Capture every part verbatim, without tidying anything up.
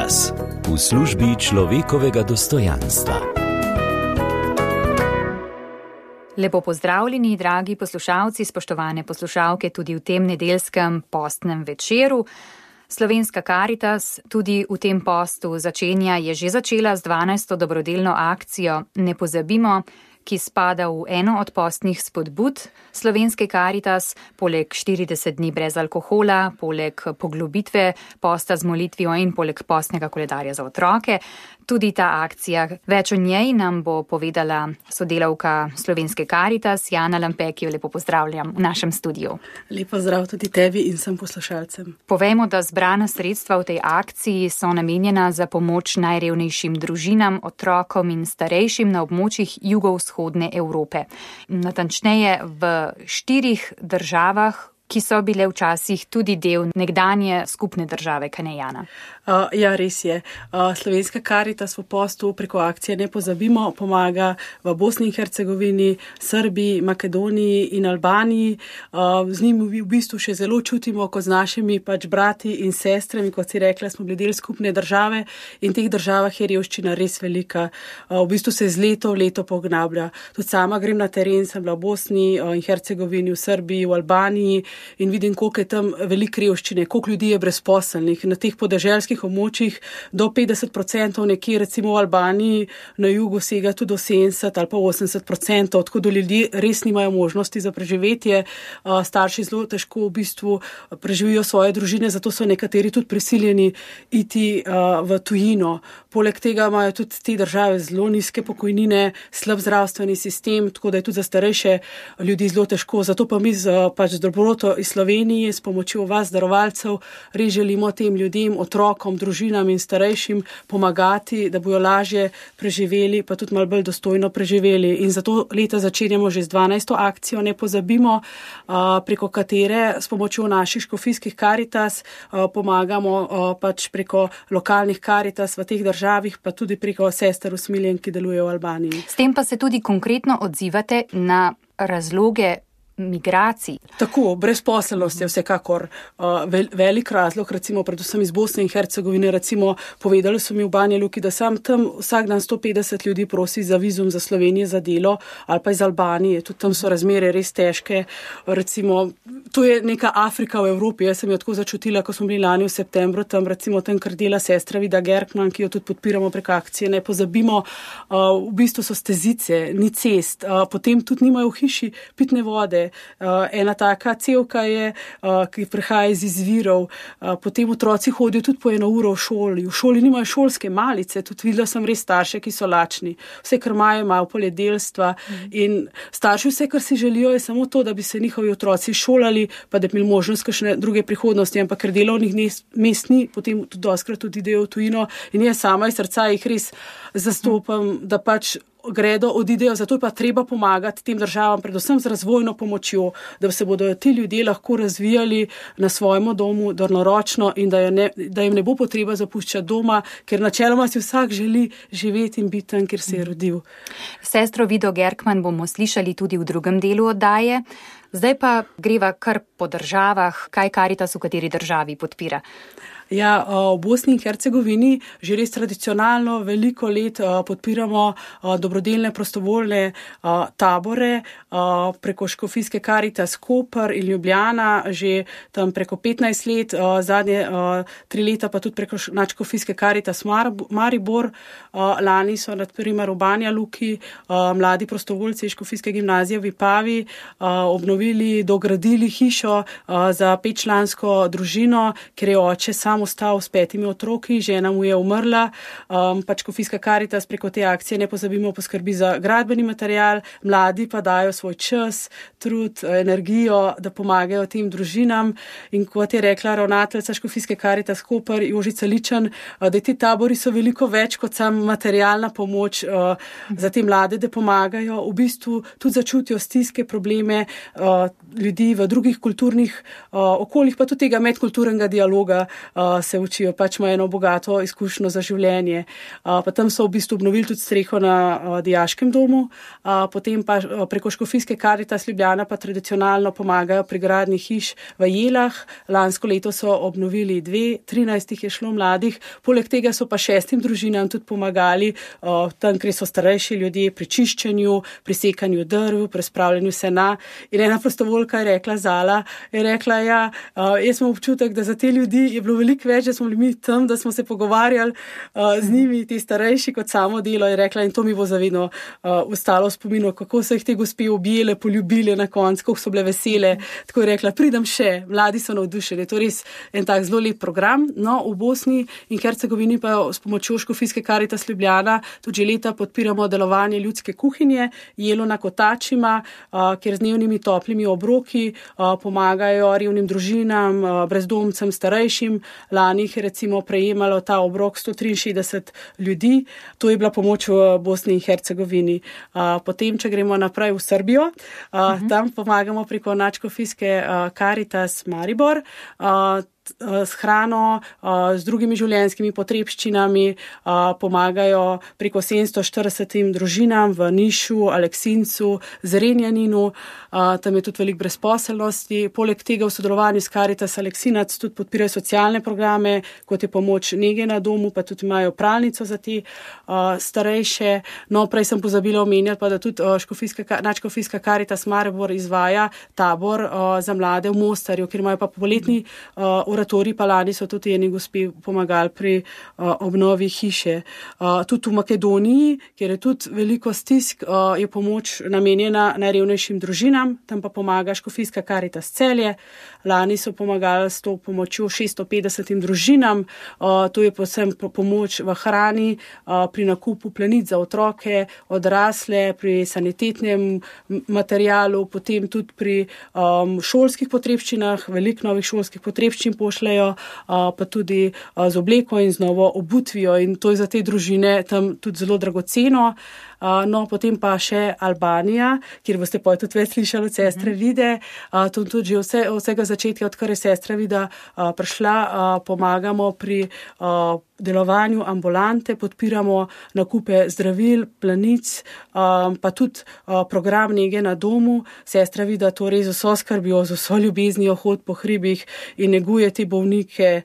Karitas v službi človekovega dostojanstva. Lepo pozdravljeni, dragi poslušalci, spoštovane poslušalke, tudi v tem nedeljskem postnem večeru. Slovenska Karitas tudi v tem postu začenja, je že začela z dvanajsto dobrodelno akcijo Ne pozabimo, ki spada v eno od postnih spodbud Slovenske Karitas, poleg štirideset dni brez alkohola, poleg poglobitve posta z molitvijo in poleg postnega koledarja za otroke. Tudi ta akcija, več o njej nam bo povedala sodelavka Slovenske Karitas, Jana Lampe, ki jo lepo pozdravljam v našem studiu. Lep pozdrav tudi tebi in vsem poslušalcem. Povejmo, da zbrana sredstva v tej akciji so namenjena za pomoč najrevnejšim družinam, otrokom in starejšim na območjih jugovzhodne Evrope. Natančneje v štirih državah, ki so bile včasih tudi del nekdanje skupne države, kaj ne, Jana? Uh, ja, res je. Uh, Slovenska Karitas v postu preko akcije Ne pozabimo pomaga v Bosni in Hercegovini, Srbiji, Makedoniji in Albaniji. Uh, z njimi v bistvu še zelo čutimo, kot z našimi pač brati in sestrami, kot si rekla, smo bili del skupne države in teh državah je revščina res velika. Uh, v bistvu se z leto v leto pognablja. Tudi sama grem na teren, sem bila v Bosni in Hercegovini, v Srbiji, v Albaniji in vidim, koliko je tam veliko revščine, koliko ljudi je brezposelnih. Na teh podeželskih območjih do petdeset procentov, nekje recimo v Albaniji na jugu sega tudi do sedemdeset ali pa osemdeset procentov, tako da ljudje res nimajo možnosti za preživetje. Starši zelo težko v bistvu preživijo svoje družine, zato so nekateri tudi prisiljeni iti v tujino. Poleg tega imajo tudi te države zelo nizke pokojnine, slab zdravstveni sistem, tako da je tudi za starejše ljudi zelo težko. Zato pa mi z, pač z dobroto iz Slovenije s pomočjo vas, darovalcev, res želimo tem ljudem, otrokom, družinam in starejšim pomagati, da bojo lažje preživeli, pa tudi malo bolj dostojno preživeli. In zato leta začenjamo že z dvanajsto akcijo Ne pozabimo, preko katere s pomočjo naših škofijskih Karitas pomagamo pač preko lokalnih Karitas v teh državah, pa tudi preko sester usmiljen, ki delujejo v Albaniji. S tem pa se tudi konkretno odzivate na razloge migracij. Tako, brezposelnost je vsekakor uh, vel, velik razlog, recimo predvsem iz Bosne in Hercegovine, recimo povedali so mi v Banja Luki, da sam tam vsak dan sto petdeset ljudi prosi za vizum za Slovenijo za delo, ali pa iz Albanije, tudi tam so razmere res težke, recimo, to je neka Afrika v Evropi, jaz sem jo tako začutila, ko smo bili lani v septembru, tam recimo tam, kar dela sestra Vida Gerkman, ki jo tudi podpiramo prek akcije Ne pozabimo, uh, v bistvu so stezice, ni cest, uh, potem tudi nimajo v hiši pitne vode. Uh, ena taka cevka je, uh, ki prihaja iz izvirov, uh, potem otroci hodijo tudi po eno uro v šoli, v šoli nimajo šolske malice, tudi videla sem res starše, ki so lačni, vse, kar imajo, imajo poljedelstva mm. in starši vse, kar si želijo, je samo to, da bi se njihovi otroci šolali, pa da bi imeli možnost kakšne druge prihodnosti, ampak ker delovnih mest ni, potem tudi doskrat tudi idejo v tujino in jaz sama iz srca jih res zastopam, da pač gredo, odidejo, zato je pa treba pomagati tem državam, predvsem z razvojno pomočjo, da se bodo ti ljudje lahko razvijali na svojem domu daljnoročno in da, ne, da jim ne bo potreba zapuščati doma, ker načeloma si vsak želi živeti in biti tam, kjer se je rodil. Sestro Vido Gerkman bomo slišali tudi v drugem delu oddaje. Zdaj pa greva kar po državah, kaj Karitas v kateri državi podpira. Ja, v Bosni in Hercegovini že res tradicionalno veliko let podpiramo dobrodelne prostovoljne tabore preko škofijske Karitas Koper in Ljubljana, že tam preko petnajst let, zadnje tri leta pa tudi preko nadškofijske Karitas Maribor. Lani so na primer v Banja Luki mladi prostovoljci iz škofijske gimnazije v Vipavi obnovili, dogradili hišo za petčlansko družino, ker je oče sam ostal s petimi otroki, žena mu je umrla, um, pač škofijska Karitas preko te akcije Ne pozabimo poskrbi za gradbeni material, mladi pa dajo svoj čas, trud, energijo, da pomagajo tem družinam in kot je rekla ravnateljica škofijske Karitas Koper Jožica Ličan, da ti tabori so veliko več kot sam materialna pomoč uh, za te mlade, da pomagajo, v bistvu tudi začutijo stiske, probleme, uh, ljudi v drugih kulturnih okoljih, pa tudi tega medkulturnega dialoga se učijo, pač imajo eno bogato izkušnjo za življenje. Pa tam so v bistvu obnovili tudi streho na dijaškem domu, potem pa preko Škofijske Karitas Ljubljana pa tradicionalno pomagajo pri gradnji hiš v Jelah. Lansko leto so obnovili dve, trinajst jih je šlo mladih, poleg tega so pa šestim družinam tudi pomagali tam, kjer so starejši ljudje pri čiščenju, pri sekanju drv, pri spravljanju sena. In ena prostovoljka je rekla, Zala, je rekla, ja, jaz imam občutek, da za te ljudi je bilo veliko več, da smo bili mi tam, da smo se pogovarjali z njimi, ti starejši, kot samo delo, je rekla, in to mi bo zavedno ostalo v spominu, kako so jih te gospe objele, poljubile na koncu, kako so bile vesele. Tako je rekla, pridem še, mladi so navdušeni. To je res en tak zelo lep program. No, v Bosni in Hercegovini pa s pomočjo Škofijske Karitas Ljubljana tudi že leta podpiramo delovanje ljudske kuhinje, jelo na kotačima, kjer z dnevnimi toplimi obroki pomagajo revnim družinam, brezdomcem, starejšim. Lani jih je recimo prejemalo ta obrok sto triinšestdeset ljudi. To je bila pomoč v Bosni in Hercegovini. Potem, če gremo naprej v Srbijo, uh-huh. tam pomagamo preko Nadškofijske Karitas Maribor, s hrano, z drugimi življenjskimi potrebščinami, pomagajo preko sedemsto štiridesetim družinam v Nišu, Aleksincu, Zrenjaninu, tam je tudi veliko brezposelnosti. Poleg tega v sodelovanju s Karitas Aleksinac tudi podpirajo socialne programe, kot je pomoč nege na domu, pa tudi imajo pralnico za te starejše. No, prej sem pozabila omenjati, pa da tudi Nadškofijska Karitas Maribor izvaja tabor za mlade v Mostarju, kjer imajo pa poletni oratorij, pa lani so tudi eni gospi pomagali pri uh, obnovi hiše. Uh, tudi v Makedoniji, kjer je tudi veliko stisk, uh, je pomoč namenjena najrevnejšim družinam, tam pa pomaga Škofijska Karitas Celje. Lani so pomagali s to pomočjo šeststo petdesetim družinam, uh, to je posebej pomoč v hrani, uh, pri nakupu plenic za otroke, odrasle, pri sanitetnem materialu, potem tudi pri um, šolskih potrebščinah, veliko novih šolskih potrebščin pošljajo, pa tudi z obleko in z novo obutvijo, in to je za te družine tam tudi zelo dragoceno. No, potem pa še Albanija, kjer boste pa tudi več slišali od sestre Vide. To tudi že vse, vsega začetka, odkar je sestra Vida prišla, pomagamo pri delovanju ambulante, podpiramo nakupe zdravil, plenic, pa tudi program nege na domu. Sestra Vida to res vso skrbijo, z vso ljubeznijo hod po hribih in neguje te bolnike.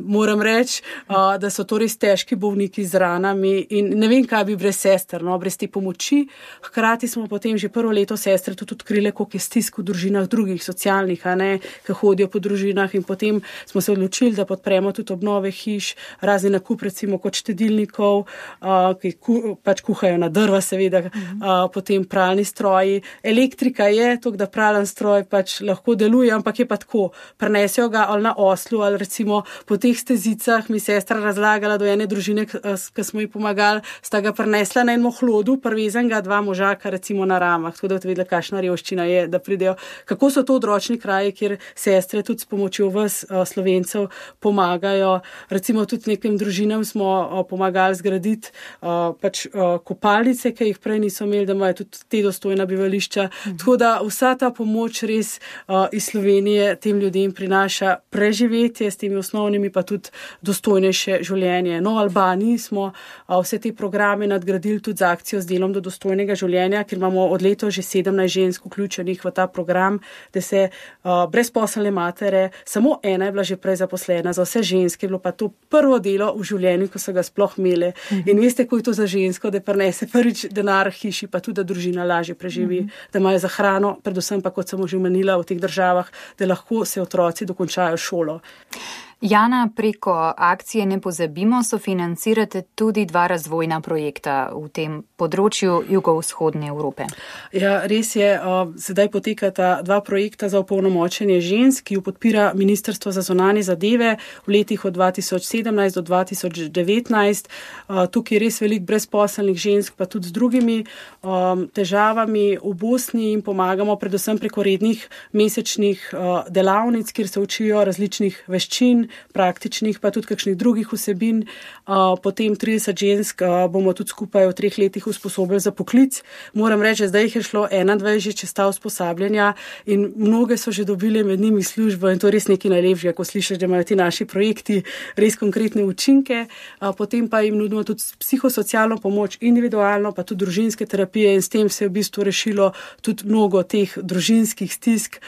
Moram reči, da so to res težki bolniki z ranami in ne vem, kaj bi brez sester, no, brez te pomoči. Hkrati smo potem že prvo leto sestre tudi odkrile, koliko je stisk v družinah drugih socialnih, a ne, ki hodijo po družinah, in potem smo se odločili, da podpremo tudi obnove hiš, razni nakup recimo kot štedilnikov, uh, ki ku, pač kuhajo na drva seveda, uh-huh. uh, potem pralni stroji. Elektrika je, to, da pralen stroj pač lahko deluje, ampak je pa tako, prenesejo ga ali na oslu, ali recimo po teh stezicah. Mi sestra razlagala do ene družine, ki smo ji pomagali, sta ga prenesla na enem hlodu, prvezenega dva možaka recimo na ramah, tako da vedela, kakšna revščina je, da pridejo. Kako so to odročni kraji, kjer sestre tudi s pomočjo vas, uh, Slovencev, pomagajo. Recimo tudi nekem družinam smo uh, pomagali zgraditi uh, pač uh, kopalnice, ki jih prej niso imeli, da imajo tudi te dostojna bivališča. Mhm. Tako da vsa ta pomoč res uh, iz Slovenije tem ljudem prinaša preživetje s temi osnovnimi, pa tudi dostojnejše življenje. No, v Albaniji smo uh, vse te programe nadgradili tudi z akcijo z delom do dostojnega življenja, ker imamo od leto že sedemnajst žensk vključenih v ta program, da se uh, brezposelne matere, samo ena je bila že prej zaposlena, za vse ženske je bilo pa to prvo delo v življenju, ko so ga sploh imeli. Uh-huh. In veste, ko je to za žensko, da prenese prvič denar hiši, pa tudi, da družina lažje preživi, uh-huh. da imajo za hrano, predvsem pa, kot sem že omenila, v teh državah, da lahko se otroci dokončajo šolo. Jana, preko akcije Ne pozabimo sofinancirate tudi dva razvojna projekta v tem področju jugovzhodne Evrope. Ja, res je, sedaj potekata dva projekta za opolnomočenje žensk, ki jo podpira Ministrstvo za zunanje zadeve v letih od dva tisoč sedemnajst do dva tisoč devetnajst. Tukaj je res veliko brezposelnih žensk, pa tudi z drugimi težavami v Bosni, in pomagamo predvsem preko rednih mesečnih delavnic, kjer se učijo različnih veščin, praktičnih, pa tudi kakšnih drugih vsebin. Potem trideset žensk bomo tudi skupaj v treh letih usposobili za poklic. Moram reči, da zdaj jih je šlo enaindvajset že čez ta usposabljanja in mnoge so že dobili med njimi službo in to je res nekaj najlepšega, ko slišiš, da imajo ti naši projekti res konkretne učinke. Potem pa jim nudimo tudi psihosocialno pomoč, individualno, pa tudi družinske terapije in s tem se je v bistvu rešilo tudi mnogo teh družinskih stisk,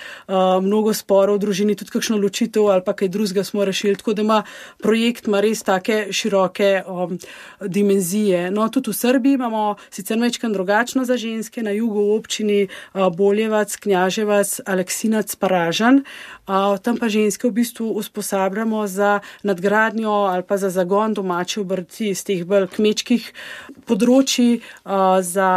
mnogo sporov v družini, tudi kakšno ločitev ali pa kaj drugega smo rešili, tako da ima projekt ima res take široke um, dimenzije. No, tudi v Srbiji imamo sicer večkrat drugačno za ženske, na jugu v občini uh, Boljevac, Knjaževac, Aleksinac, Paražan. Uh, tam pa ženske v bistvu usposabljamo za nadgradnjo ali pa za zagon domače obrti iz teh bolj kmečkih področji, uh, za,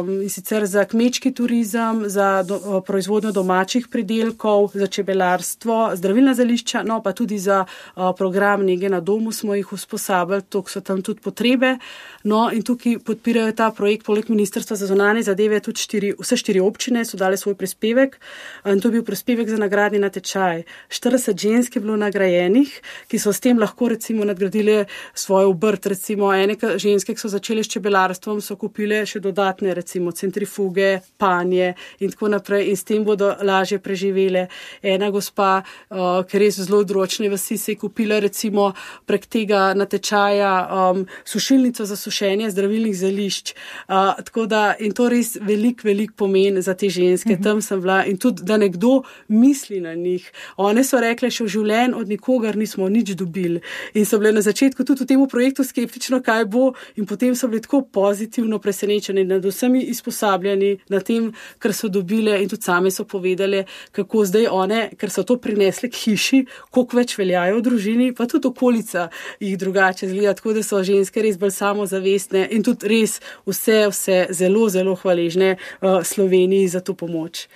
um, in sicer za kmečki turizem, za do, uh, proizvodnjo domačih pridelkov, za čebelarstvo, zdravilna zelišča, no pa tudi za uh, program nege na domu smo jih usposabljali, toliko so tam tudi potrebe. No in tukaj podpirajo ta projekt poleg Ministrstva za zunanje zadeve tudi štiri, vse štiri občine so dali svoj prispevek in to je bil prispevek za nagradni natečaj. štirideset žensk je bilo nagrajenih, ki so s tem lahko recimo nadgradile svojo obrt, recimo ene ženske, ki so začele s čebelarstvom, so kupile še dodatne recimo centrifuge, panje in tako naprej in s tem bodo lažje preživele. Ena gospa, uh, ker je zelo odročne vasi, se je kupila recimo prek tega natečaja um, sušilnico za sušenje zdravilnih zelišč. Uh, tako da, in to res velik, velik pomen za te ženske. Mm-hmm. Tam sem bila in tudi, da nekdo misli na njih. One so rekle, še v življenju od nikogar nismo nič dobili. In so bile na začetku tudi v tem projektu skeptično, kaj bo in potem so bile tako pozitivno presenečene nad vsemi izposabljani, na tem, kar so dobile in tudi same so povedale, kako zdaj one, ker so to prinesle k hiši, koliko več veljajo v družini, pa tudi okolica jih drugače zgleda, tako da so ženske res bolj samozavestne in tudi res vse, vse zelo, zelo hvaležne uh, Sloveniji za to pomoč.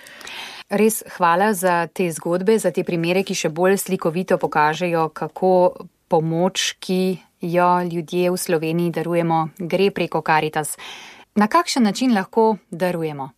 Res hvala za te zgodbe, za te primere, ki še bolj slikovito pokažejo, kako pomoč, ki jo ljudje v Sloveniji darujemo, gre preko Karitas. Na kakšen način lahko darujemo?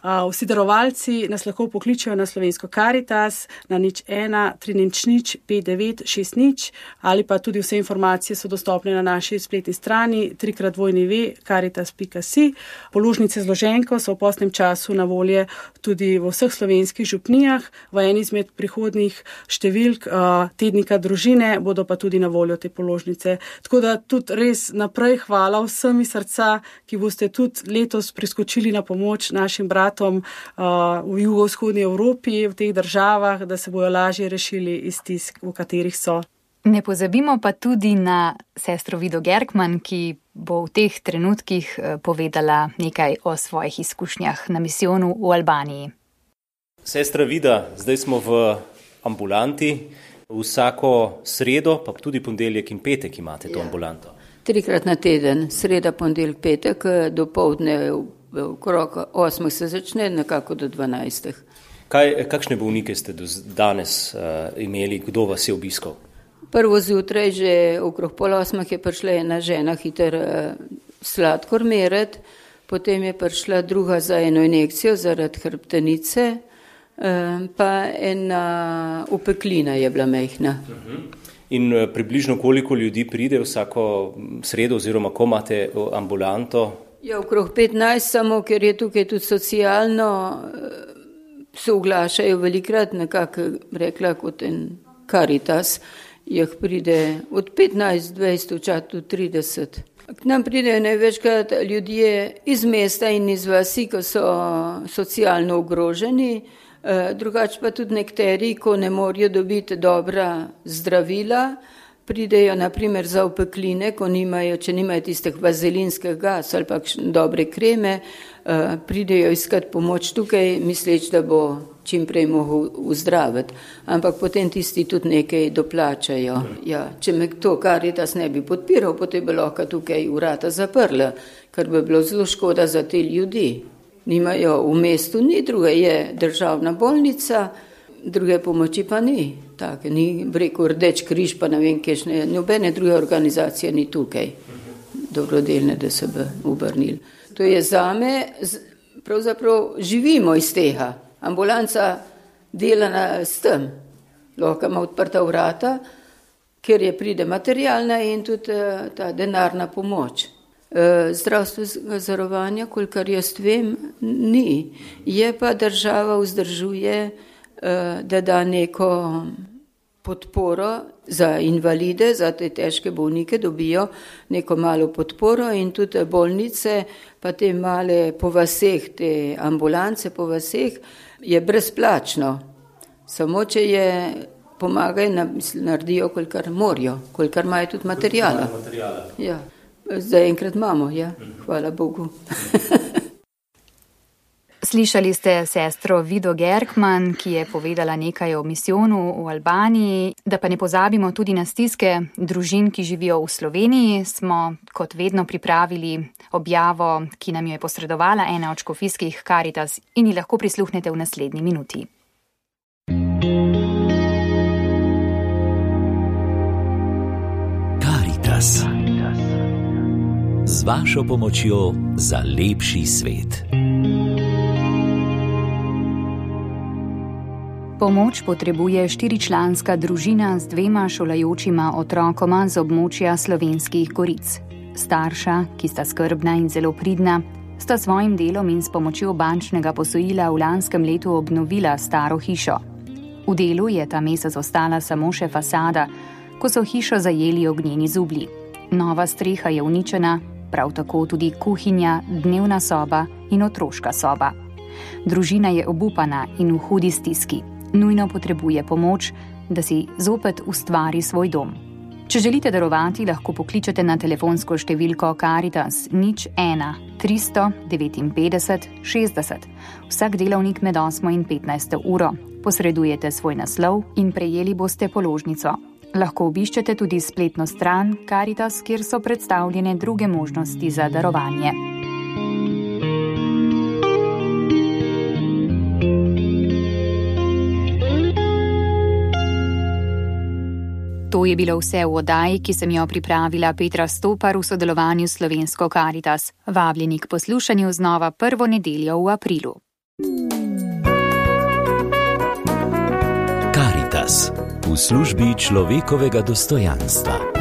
Vsi darovalci nas lahko pokličejo na slovensko Karitas na nič ena tri nič nič pet devet šest nič ali pa tudi vse informacije so dostopne na naši spletni strani trikrat dvojni ve karitas pika si. Položnice z loženko so v postnem času na volje tudi v vseh slovenskih župnijah. V eni izmed prihodnjih številk tednika družine bodo pa tudi na voljo te položnice. Tako da tudi res naprej hvala vsem iz srca, ki boste tudi letos priskočili na pomoč našim bratom v jugovzhodni Evropi, v teh državah, da se bojo lažje rešili iz stisk, v katerih so. Ne pozabimo pa tudi na sestro Vido Gerkman, ki bo v teh trenutkih povedala nekaj o svojih izkušnjah na misijonu v Albaniji. Sestra Vida, zdaj smo v ambulanti. Vsako sredo, pa tudi ponedeljek in petek imate to ja. ambulanto. Trikrat na teden, sreda, ponedeljek, petek, do povdne okrog osmih se začne, nekako do dvanajstih. Kaj, kakšne bolnike ste do danes uh, imeli, kdo vas je obiskal? Prvo zjutraj, že okrog pol osmih je prišla ena žena hiter uh, sladkor meret, potem je prišla druga za eno injekcijo zaradi hrbtenice, uh, pa ena upeklina je bila mehna. Uh-huh. In uh, približno koliko ljudi pride vsako sredo oziroma ko imate ambulanto? Ja, okrog petnajst, samo ker je tukaj tudi socialno, se oglašajo velikrat, nekako rekla kot en Karitas, jih pride od petnajst, dvajset, včasih tudi trideset. K nam pridejo največkrat ljudje iz mesta in iz vasi, ko so socialno ogroženi, drugače pa tudi nekateri, ko ne morajo dobiti dobra zdravila, pridejo naprimer za opekline, ko nimajo, če nimajo tistih vazelinskih gas ali pa dobre kreme, pridejo iskati pomoč tukaj, misleč, da bo čim prej mogel uzdraviti. Ampak potem tisti tudi nekaj doplačajo. Ja, če me to Karitas ne bi podpiral, potem bi lahko tukaj vrata zaprla, kar bi bilo zelo škoda za te ljudi. Nimajo v mestu, ni druga, je državna bolnica, druge pomoči pa ni. Tak, ni rekel Rdeč križ, pa ne vem, kešne, nobene druge organizacije ni tukaj, dobrodelne, da se bi obrnili. To je zame, pravzaprav živimo iz tega. Ambulanca dela s tem, lahko ima odprta vrata, ker je pride materialna in tudi ta denarna pomoč. Zdravstvenega zavarovanja, kolikor jaz vem, ni. Je pa država vzdržuje, da da neko podporo za invalide, za te težke bolnike, dobijo neko malo podporo in tudi bolnice, pa te male po vaseh, te ambulance po vaseh, je brezplačno. Samo če je pomagajo, naredijo, kolikor morajo, kolikor imajo tudi materijala. Ja. Zdaj enkrat imamo, ja, hvala Bogu. Slišali ste sestro Vido Gerkman, ki je povedala nekaj o misijonu v Albaniji. Da pa ne pozabimo tudi na stiske družin, ki živijo v Sloveniji, smo kot vedno pripravili objavo, ki nam jo je posredovala ena od škofijskih Karitas in ji lahko prisluhnete v naslednji minuti. Karitas. Z vašo pomočjo za lepši svet. Pomoč potrebuje štiričlanska družina z dvema šolajočima otrokoma z območja Slovenskih Goric. Starša, ki sta skrbna in zelo pridna, sta svojim delom in s pomočjo bančnega posojila v lanskem letu obnovila staro hišo. V delu je ta mesec ostala samo še fasada, ko so hišo zajeli ognjeni zublji. Nova streha je uničena, prav tako tudi kuhinja, dnevna soba in otroška soba. Družina je obupana in v hudi stiski. Nujno potrebuje pomoč, da si zopet ustvari svoj dom. Če želite darovati, lahko pokličete na telefonsko številko Karitas nič ena tristo devetinpetdeset šestdeset. Vsak delovnik med osmo in petnajsto uro. Posredujete svoj naslov in prejeli boste položnico. Lahko obiščete tudi spletno stran Karitas, kjer so predstavljene druge možnosti za darovanje. To je bilo vse v oddaji, ki sem jo pripravila Petra Stopar v sodelovanju s Slovensko Karitas. Vabljeni k poslušanju znova prvo nedeljo v aprilu. Karitas v službi človekovega dostojanstva.